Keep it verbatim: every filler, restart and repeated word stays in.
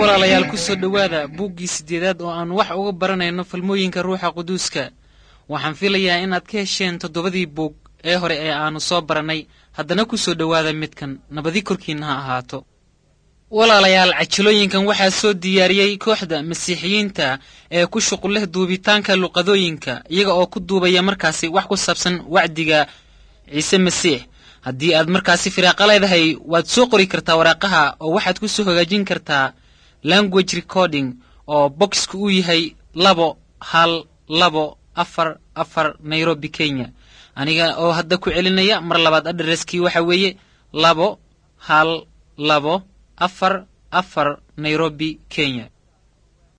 Walaalayaal, ku soo dhowaada buuggii siddeedaad oo aan wax uga baranayno falmooyinka Ruuxa Quduuska. Waxaan filayaa inaad ka hesheen toddobadii buug ee hore ee aannu soo barannay. Haddana ku soo dhowaada midkan. Nabadi korkiinna ha ahaato. Walaalayaal, cajilooyinkan waxaa soo diyaariyey kooxda Masiixiyiinta ee ku shuqul leh duubitaanka luqadooyinka, iyaga oo ku duubaya markaasi wax ku saabsan wacdiga Ciise Masiix. Haddii aad markaasi firaaqa leedahay, waad soo qori kartaa waraaqaha oo waxaad ku soo hagaajin kartaa Language Recording, oo boxku uu yahay labo hal labo afar afar, Nairobi, Kenya. Aniga oo hadda ku celinaya mar labaad, adhereskii waxa weeye labo hal labo afar afar, Nairobi, Kenya.